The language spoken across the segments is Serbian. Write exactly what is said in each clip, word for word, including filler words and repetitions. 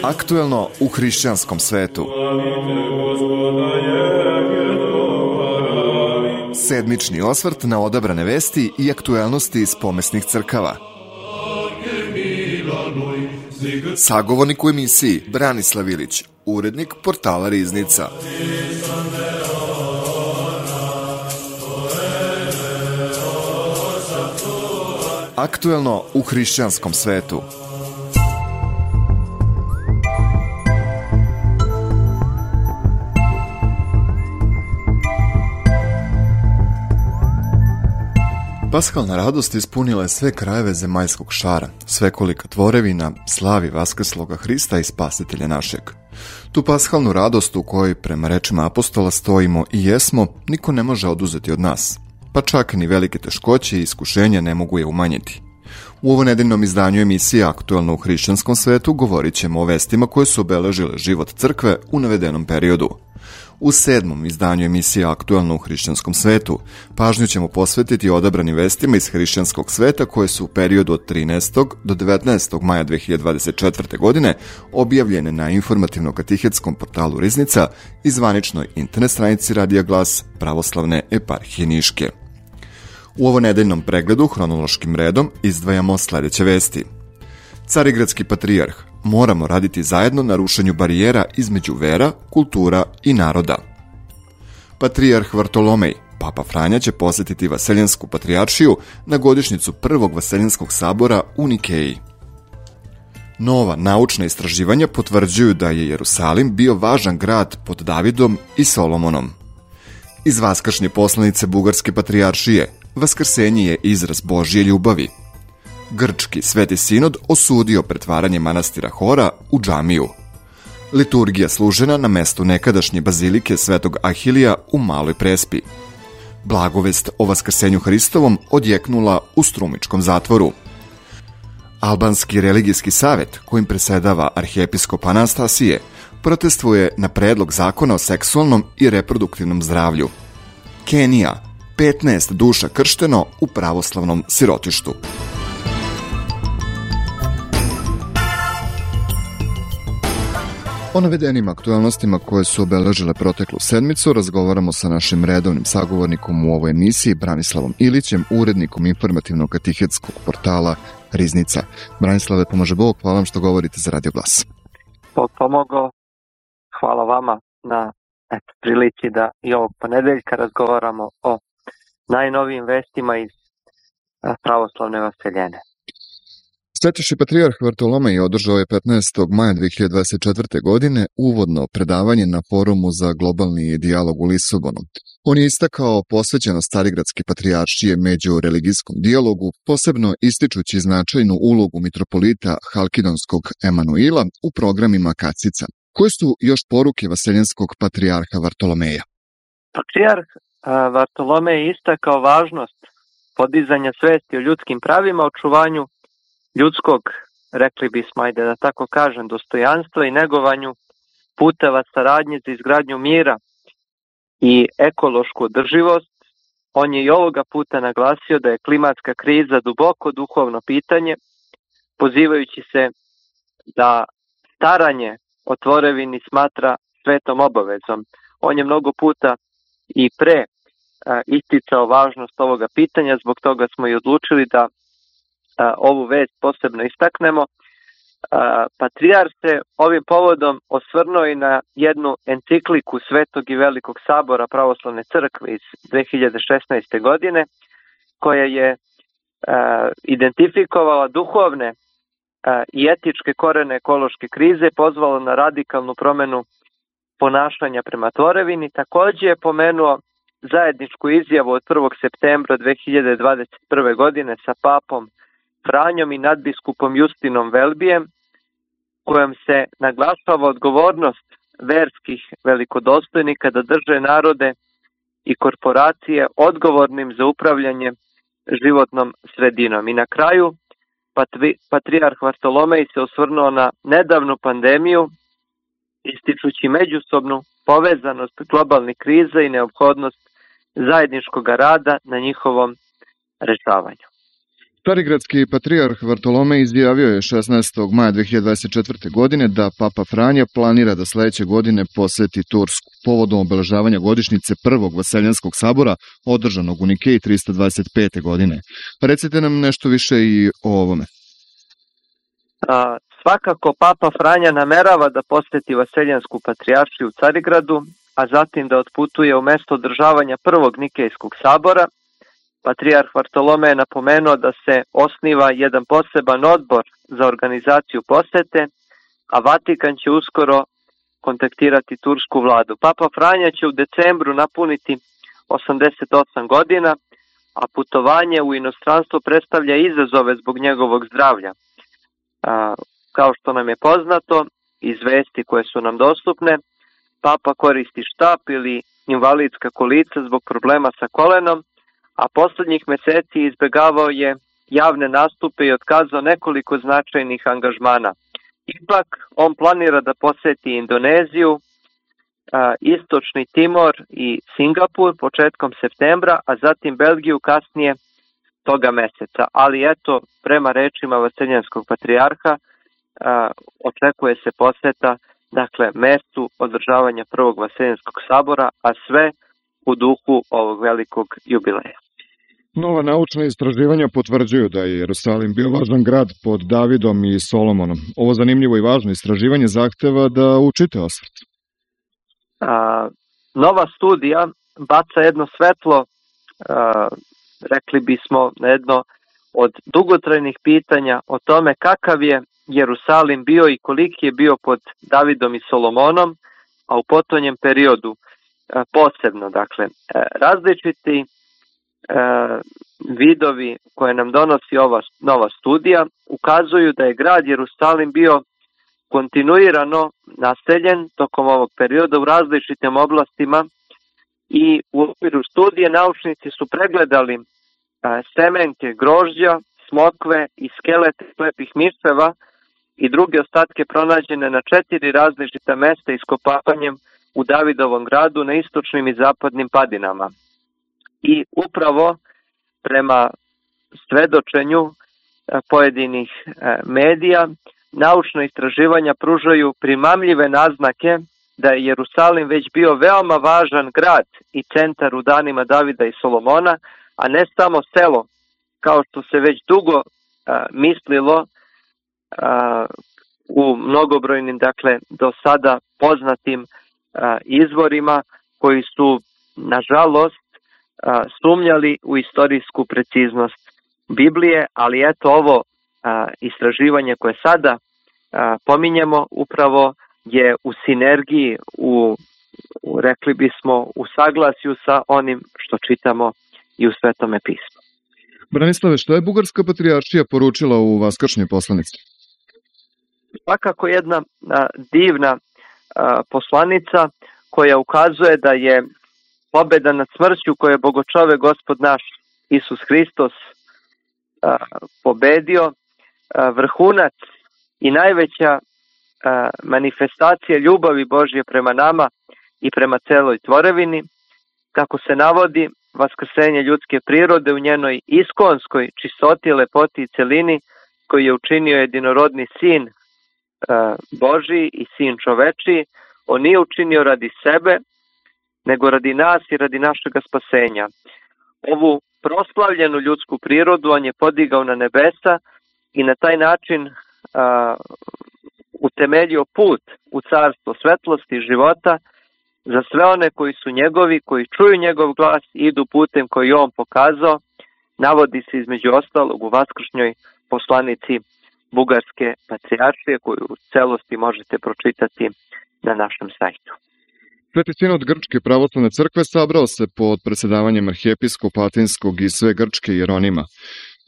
Aktuelno u hrišćanskom svetu. Sedmični osvrt na odabrane vesti i aktuelnosti iz pomesnih crkava. Sagovornik u emisiji Branislav Ilić, urednik portala Riznica. Aktuelno u hrišćanskom svetu. Paskalna radost ispunila je sve krajeve zemaljskog šara, svekolika tvorevina slavi vaskrsloga Hrista i Spasitelja našeg. Tu paskalnu radost u kojoj, prema rečima apostola, stojimo i jesmo, niko ne može oduzeti od nas. Pa čak ni velike teškoće i iskušenja ne mogu je umanjiti. U ovo nedeljnom izdanju emisije Aktuelno u hrišćanskom svetu govorit ćemo o vestima koje su obeležile život crkve u navedenom periodu. U sedmom izdanju emisije Aktuelno u hrišćanskom svetu pažnju ćemo posvetiti odabranim vestima iz hrišćanskog sveta koje su u periodu od trinaestog do devetnaestog maja dve hiljade dvadeset četvrte. godine objavljene na informativno-katihetskom portalu Riznica i zvaničnoj internet stranici Radija Glas Pravoslavne eparhije Niške. U ovo nedeljnom pregledu hronološkim redom izdvajamo sledeće vesti. Carigradski patrijarh: moramo raditi zajedno na rušenju barijera između vera, kultura i naroda. Patrijarh Vartolomej: Papa Franja će posetiti Vaseljensku patrijaršiju na godišnjicu prvog Vaseljenskog sabora u Nikeji. Nova naučna istraživanja potvrđuju da je Jerusalim bio važan grad pod Davidom i Solomonom. Iz vaskršnje poslanice Bugarske patrijaršije: vaskrsenje je izraz Božje ljubavi. Grčki Sveti Sinod osudio pretvaranje manastira Hora u džamiju. Liturgija služena na mestu nekadašnje bazilike Svetog Ahilija u Maloj Prespi. Blagovest o vaskrsenju Hristovom odjeknula u Strumičkom zatvoru. Albanski religijski savet, kojim presedava arhijepiskop Anastasije, protestvuje na predlog zakona o seksualnom i reproduktivnom zdravlju. Kenija: petnaest duša kršteno u pravoslavnom sirotištu. O navedenim aktualnostima koje su obeležile proteklu sedmicu razgovaramo sa našim redovnim sagovornikom u ovoj emisiji, Branislavom Ilićem, urednikom informativno-katihetskog portala Riznica. Branislave, pomože Bog, hvala vam što govorite za Radio Glas. Bog pomogao, hvala vama na eto, prilici da i ovog ponedeljka razgovaramo o najnovijim vestima iz pravoslavne Vaseljene. Svetiši patrijarh Vartolomej održao je petnaestog maja dve hiljade dvadeset četvrte. godine uvodno predavanje na forumu za globalni dijalog u Lisabonu. On je istakao posvećenost Carigradske patrijaršije među religijskom dijalogu, posebno ističući značajnu ulogu mitropolita Halkidonskog Emanuila u programima Kacica. Koje su još poruke vaseljenskog patrijarha Vartolomeja? Patrijarh Vartolomej je istakao važnost podizanja svesti o ljudskim pravima, očuvanju ljudskog, rekli bismo, ajde da tako kažem, dostojanstva i negovanju puteva saradnje za izgradnju mira i ekološku održivost. On je i ovoga puta naglasio da je klimatska kriza duboko duhovno pitanje, pozivajući se da staranje o tvorevini smatra svetom obavezom. On je mnogo puta i pre a, isticao važnost ovoga pitanja, zbog toga smo i odlučili da a, ovu vest posebno istaknemo. A, Patrijarh se ovim povodom osvrnuo i na jednu encikliku Svetog i Velikog sabora Pravoslavne crkve iz dve hiljade šesnaeste. godine, koja je a, identifikovala duhovne a, i etičke korene ekološke krize, pozvala na radikalnu promenu ponašanja prema tvorevini. Takođe je pomenuo zajedničku izjavu od prvog septembra dve hiljade dvadeset prve. godine sa papom Franjom i nadbiskupom Justinom Velbijem, kojom se naglašava odgovornost verskih velikodostojnika da drže narode i korporacije odgovornim za upravljanje životnom sredinom. I na kraju, patrijarh Vartolomej se osvrnuo na nedavnu pandemiju, ističući međusobnu povezanost globalnih kriza i neophodnost zajedničkog rada na njihovom rešavanju. Carigradski patrijarh Vartolomej izjavio je šesnaestog maja dve hiljade dvadeset četvrte. godine da Papa Franja planira da sledeće godine poseti Tursku povodom obeležavanja godišnjice prvog Vaseljanskog sabora održanog u Nikeji trista dvadeset pete. godine. Recite nam nešto više i o ovome. A, svakako Papa Franja namerava da poseti Vaseljansku patrijaršiju u Carigradu, a zatim da otputuje u mesto održavanja prvog Nikejskog sabora. Patrijarh Vartolomej je napomenuo da se osniva jedan poseban odbor za organizaciju posete, a Vatikan će uskoro kontaktirati tursku vladu. Papa Franja će u decembru napuniti osamdeset osam godina, a putovanje u inostranstvo predstavlja izazove zbog njegovog zdravlja. A, kao što nam je poznato, iz vesti koje su nam dostupne, Papa koristi štap ili invalidska kolica zbog problema sa kolenom, a poslednjih meseci izbegavao je javne nastupe i otkazao nekoliko značajnih angažmana. Ipak, on planira da poseti Indoneziju, Istočni Timor i Singapur početkom septembra, a zatim Belgiju kasnije toga meseca. Ali eto, prema rečima Vaseljanskog patrijarha, očekuje se poseta, dakle, mestu održavanja prvog Vaseljanskog sabora, a sve u duhu ovog velikog jubileja. Nova naučna istraživanja potvrđuju da je Jerusalim bio važan grad pod Davidom i Solomonom. Ovo zanimljivo i važno istraživanje zahteva da učite osvrt. A, nova studija baca jedno svetlo, a, rekli bismo, na jedno od dugotrajnih pitanja o tome kakav je Jerusalim bio i koliki je bio pod Davidom i Solomonom, a u potonjem periodu a, posebno. Dakle, a, različiti a, vidovi koje nam donosi ova nova studija ukazuju da je grad Jerusalim bio kontinuirano naseljen tokom ovog perioda u različitim oblastima i u okviru studije naučnici su pregledali a, semenke grožđa, smokve i skelete slepih miševa i druge ostatke pronađene na četiri različita mesta iskopavanjem u Davidovom gradu na istočnim i zapadnim padinama. I upravo prema svedočenju a, pojedinih a, medija, naučna istraživanja pružaju primamljive naznake da je Jerusalim već bio veoma važan grad i centar u danima Davida i Solomona, a ne samo selo, kao što se već dugo a, mislilo a, u mnogobrojnim, dakle, do sada poznatim a, izvorima koji su, nažalost, a, sumnjali u istorijsku preciznost Biblije, ali eto ovo a, istraživanje koje sada a, pominjemo upravo je u sinergiji, u, u rekli bismo u saglasju sa onim što čitamo i u Svetome pismu. Branislave, što je Bugarska patrijaršija poručila u vaskršnjoj poslanici? Svakako jedna a, divna a, poslanica koja ukazuje da je pobeda nad smrću koju je Bogočove Gospod naš Isus Hristos a, pobedio, a, vrhunac i najveća a, manifestacija ljubavi Božje prema nama i prema celoj tvorevini, kako se navodi vaskrsenje ljudske prirode u njenoj iskonskoj čistoti, lepoti i celini koji je učinio jedinorodni sin a, Božji i sin čovečiji. On nije učinio radi sebe, nego radi nas i radi našega spasenja. Ovu proslavljenu ljudsku prirodu on je podigao na nebesa i na taj način a, utemeljio put u carstvo svetlosti i života za sve one koji su njegovi, koji čuju njegov glas i idu putem koji on pokazao. Navodi se između ostalog u vaskršnjoj poslanici Bugarske patrijaršije koju u celosti možete pročitati na našem sajtu. Sveti sinod Grčke pravoslavne crkve sabrao se pod predsjedavanjem arhijepiskopa Atinskog i sve Grčke Jeronima.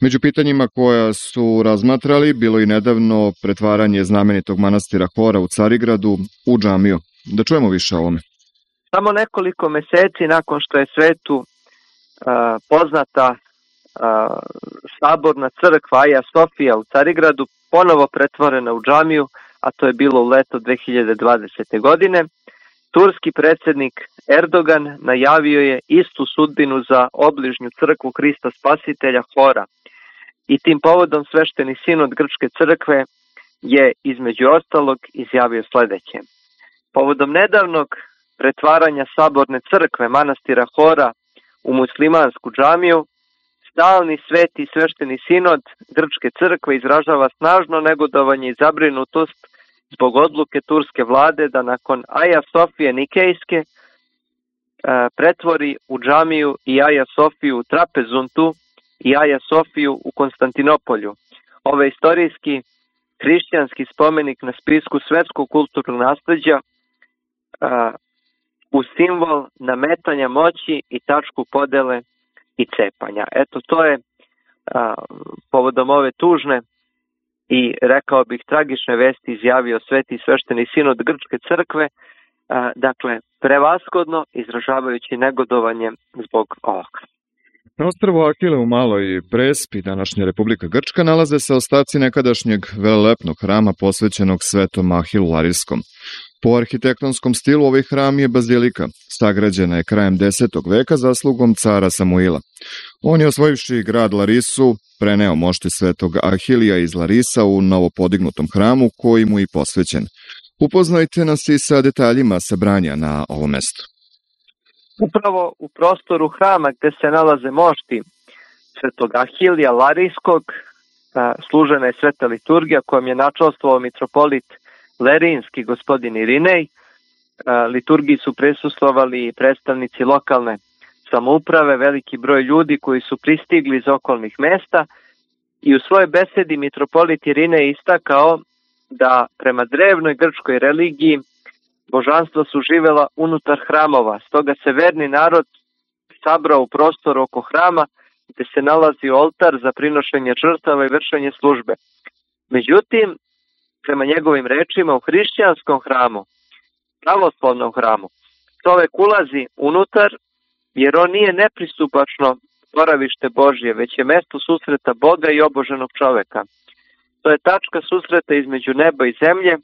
Među pitanjima koja su razmatrali bilo i nedavno pretvaranje znamenitog manastira Hora u Carigradu u džamiju. Da čujemo više o ovome. Samo nekoliko meseci nakon što je svetu uh, poznata uh, saborna crkva Aja Sofija u Carigradu ponovo pretvorena u džamiju, a to je bilo u leto dve hiljade dvadesete. godine, turski predsjednik Erdogan najavio je istu sudbinu za obližnju crkvu Hrista Spasitelja Hora. i tim povodom svešteni sinod Grčke crkve je između ostalog izjavio sledeće. Povodom nedavnog pretvaranja saborne crkve manastira Hora u muslimansku džamiju, stalni sveti svešteni sinod Grčke crkve izražava snažno negodovanje i zabrinutost zbog odluke turske vlade da nakon Aja Sofije Nikejske e, pretvori u džamiju i Aja Sofiju u Trapezuntu i Aja Sofiju u Konstantinopolju. Ovaj istorijski hrišćanski spomenik na spisku svetskog kulturnog nasleđa a, u simbol nametanja moći i tačku podele i cepanja. Eto, to je a, povodom ove tužne i rekao bih tragične vesti izjavio sveti svešteni sinod Grčke crkve, a, dakle prevashodno izražavajući negodovanje zbog ovoga. Na ostrvu Ahile u Maloj Prespi, današnja Republika Grčka, nalaze se ostaci nekadašnjeg velelepnog hrama posvećenog svetom Ahilu Larijskom. Po arhitektonskom stilu ovaj hram je bazilika, sagrađena je krajem desetog veka zaslugom cara Samuila. On je osvojivši grad Larisu preneo mošti svetog Ahilija iz Larisa u novopodignutom hramu koji mu je posvećen. Upoznajte nas i sa detaljima sabranja na ovom mestu. Upravo u prostoru hrama gde se nalaze mošti svetog Ahilija Larijskog služena je sveta liturgija kojom je načastvovao mitropolit Lerijinski gospodin Irinej. Liturgiji su prisustvovali predstavnici lokalne samouprave, veliki broj ljudi koji su pristigli iz okolnih mesta i u svojoj besedi mitropolit Irinej istakao da prema drevnoj grčkoj religiji božanstva su živela unutar hramova, stoga se verni narod sabrao u prostor oko hrama gde se nalazi oltar za prinošenje žrtava i vršenje službe. Međutim, prema njegovim rečima, u hrišćanskom hramu, pravoslavnom hramu, čovek ulazi unutar jer on nije nepristupačno boravište Božje, već je mesto susreta Boga i oboženog čoveka. To je tačka susreta između neba i zemlje,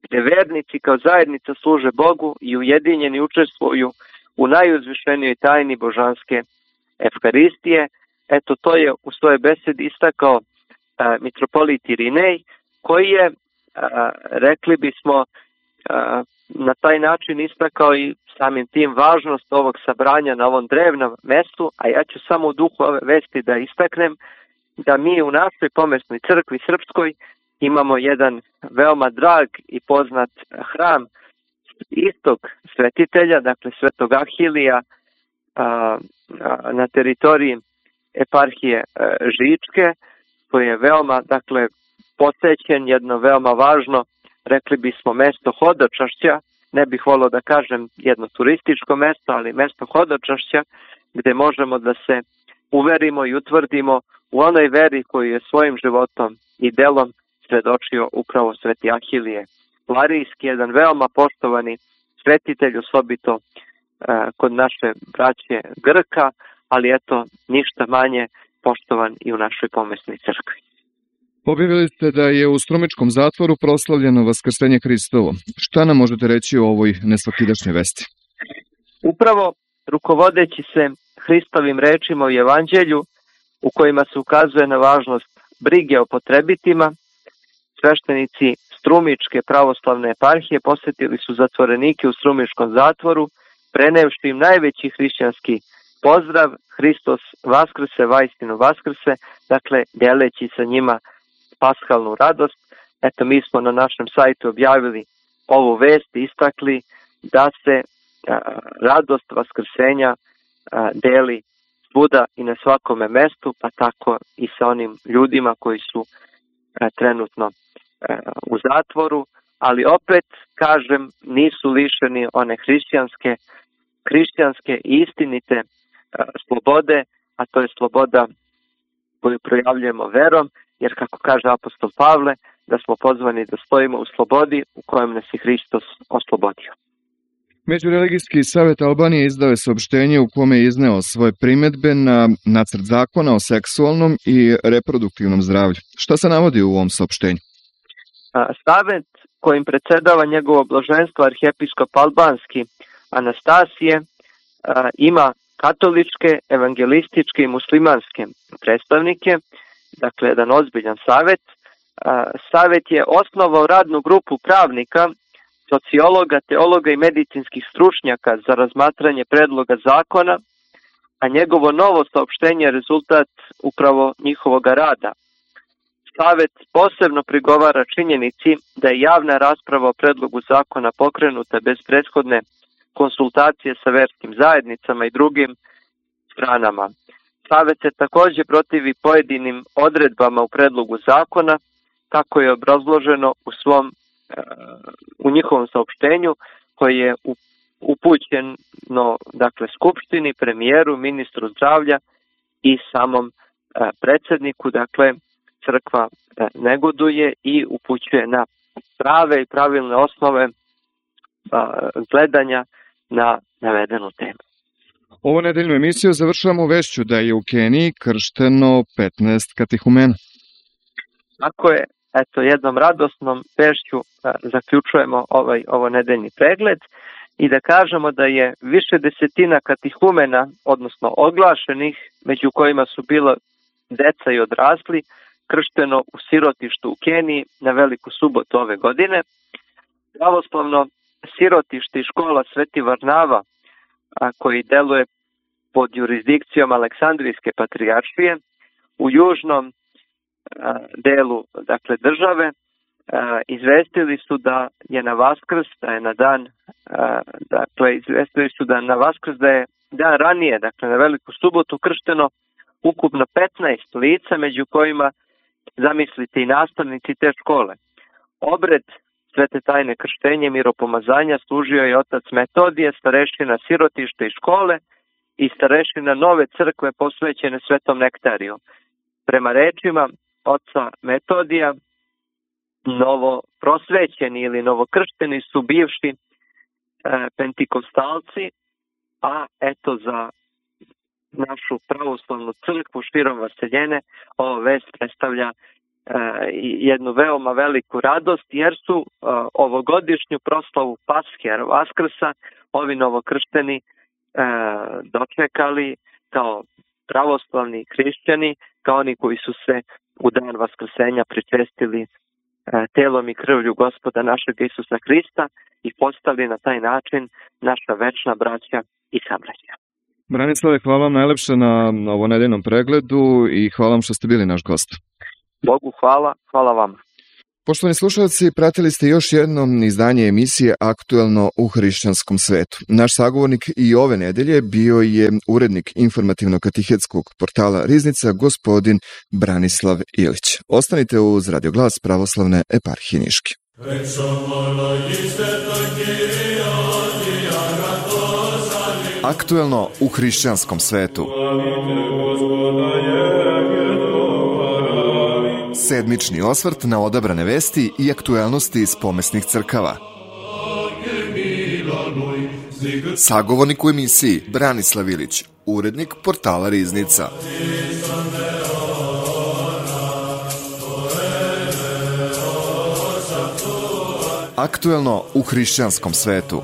gde vernici kao zajednica služe Bogu i ujedinjeni učestvuju u najuzvišenijoj tajni božanske Evharistije. Eto, to je u svojoj besedi istakao a, mitropolit Irinej, koji je, a, rekli bismo, a, na taj način istakao i samim tim važnost ovog sabranja na ovom drevnom mestu, a ja ću samo u duhu ove vesti da istaknem da mi u našoj pomesnoj crkvi srpskoj imamo jedan veoma drag i poznat hram istog svetitelja, dakle svetog Ahilija a, a, na teritoriji eparhije a, Žičke, koji je veoma, dakle, posećen, jedno veoma važno, rekli bismo, mesto hodočašća, ne bih volio da kažem jedno turističko mesto, ali mesto hodočašća, gde možemo da se uverimo i utvrdimo u onoj veri koju je svojim životom i delom svedočio upravo sveti Ahilije Larijski, jedan veoma poštovani svetitelj, osobito uh, kod naše braće Grka, ali eto, ništa manje poštovan i u našoj pomesnoj crkvi. Objavili ste da je u Strumičkom zatvoru proslavljeno Vaskrsenje Hristovo. Šta nam možete reći o ovoj nesvakidašnjoj vesti? Upravo rukovodeći se Hristovim rečima u Evanđelju, u kojima se ukazuje na važnost brige o potrebitima, sveštenici Strumičke pravoslavne eparhije posetili su zatvorenike u Strumičkom zatvoru, prenevši im najveći hrišćanski pozdrav Hristos Vaskrse, vaistinu Vaskrse, dakle deleći sa njima paskalnu radost. Eto, mi smo na našem sajtu objavili ovu vest i istakli da se a, radost Vaskrsenja a, deli svuda i na svakome mestu, pa tako i sa onim ljudima koji su a, trenutno a, u zatvoru, ali opet, kažem, nisu lišeni one hrišćanske, hrišćanske i istinite a, slobode, a to je sloboda koju projavljujemo verom, jer kako kaže apostol Pavle, da smo pozvani da stojimo u slobodi u kojem nas je Hristos oslobodio. Međureligijski savjet Albanije izdao je saopštenje u kome je izneo svoje primedbe na nacrt zakona o seksualnom i reproduktivnom zdravlju. Šta se navodi u ovom saopštenju? Savet kojim predsedava njegovo blaženstvo arhijepiskop albanski Anastasije ima katoličke, evangelističke i muslimanske predstavnike dakle jedan ozbiljan savjet. Savjet je osnovao radnu grupu pravnika, sociologa, teologa i medicinskih stručnjaka za razmatranje predloga zakona, a njegovo novo saopštenje je rezultat upravo njihovog rada. Savet posebno prigovara činjenici da je javna rasprava o predlogu zakona pokrenuta bez prethodne konsultacije sa verskim zajednicama i drugim stranama. Savet se također protivi pojedinim odredbama u predlogu zakona, kako je obrazloženo u svom u njihovom saopštenju, koji je upućeno dakle skupštini, premijeru, ministru zdravlja i samom predsjedniku. Dakle, crkva negoduje i upućuje na prave i pravilne osnove gledanja na navedenu temu. Ovo nedeljnu emisiju završavamo vešću da je u Keniji kršteno petnaest katihumena. Tako je, eto, jednom radosnom vešću zaključujemo ovaj, ovo nedeljni pregled i da kažemo da je više desetina katihumena, odnosno oglašenih, među kojima su bila deca i odrasli, kršteno u sirotištu u Keniji na Veliku subotu ove godine. Pravoslavno sirotište i škola Sveti Varnava, a, koji deluje pod jurisdikcijom Aleksandrijske patrijaršije, u južnom a, delu dakle, države, a, izvestili su da je na Vaskrs, da je na dan, a, dakle, izvestili su da na Vaskrs, da je dan ranije, dakle na Veliku subotu, kršteno ukupno petnaest lica, među kojima, zamislite, i nastavnici te škole. Obred Svete tajne krštenje miropomazanja služio je otac Metodije, starešina sirotište i škole i starešina nove crkve posvećene Svetom Nektariju. Prema rečima oca Metodija, novo prosvećeni ili novokršteni su bivši e, pentikostalci, a eto za našu pravoslavnu crkvu širom Vaseljene ova vest predstavlja jednu veoma veliku radost, jer su uh, ovogodišnju proslavu Paske, Vaskrsa, ovi novokršteni uh, dočekali kao pravoslavni hrišćani, kao oni koji su se u dan Vaskrsenja pričestili uh, telom i krvlju Gospoda našeg Isusa Hrista i postali na taj način naša večna braća i sabraća. Branislave, hvala vam najlepše na ovo nedeljnom pregledu i hvala vam što ste bili naš gost. Bogu hvala, hvala vama. Poštovani slušalci, pratili ste još jedno izdanje emisije Aktuelno u hrišćanskom svetu. Naš sagovornik i ove nedelje bio je urednik informativno-katihetskog portala Riznica, gospodin Branislav Ilić. Ostanite uz Radio Glas Pravoslavne eparhije Niške. Aktuelno u hrišćanskom svetu. Sedmični osvrt na odabrane vesti i aktuelnosti iz pomesnih crkava. Sagovornik u emisiji Branislav Ilić, urednik portala Riznica. Aktuelno u hrišćanskom svetu.